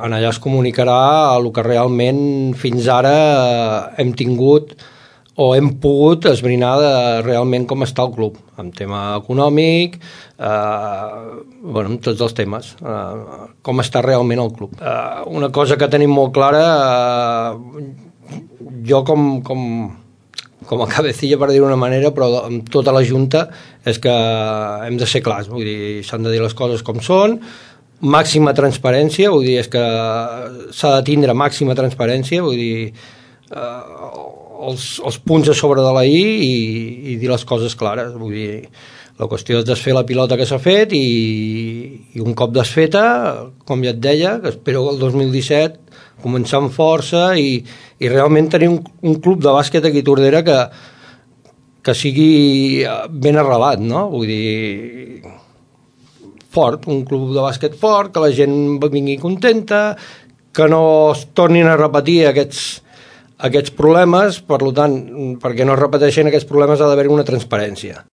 En allà es comunicarà el que realment fins ara hem tingut o hem pogut esbrinar realment com està el club, en tema econòmic, en tots els temes, com està realment el club. Una cosa que tenim molt clara, jo com a cabecilla, per dir-ho d'una manera, però amb tota la Junta, és que hem de ser clars, vull dir, s'han de dir les coses com són, màxima transparència, vull dir, és que s'ha de tindre màxima transparència, vull dir, els punts a sobre de la i dir les coses clares, vull dir, la qüestió és desfer la pilota que s'ha fet i un cop desfeta, com ja et deia, que espero el 2017 començar amb força i realment tenir un club de bàsquet aquí a Tordera que sigui ben arrelat, no? Vull dir, fort, un club de bàsquet fort, que la gent vingui contenta, que no es tornin a repetir aquests problemes, per tant, perquè no es repeteixen aquests problemes ha d'haver una transparència.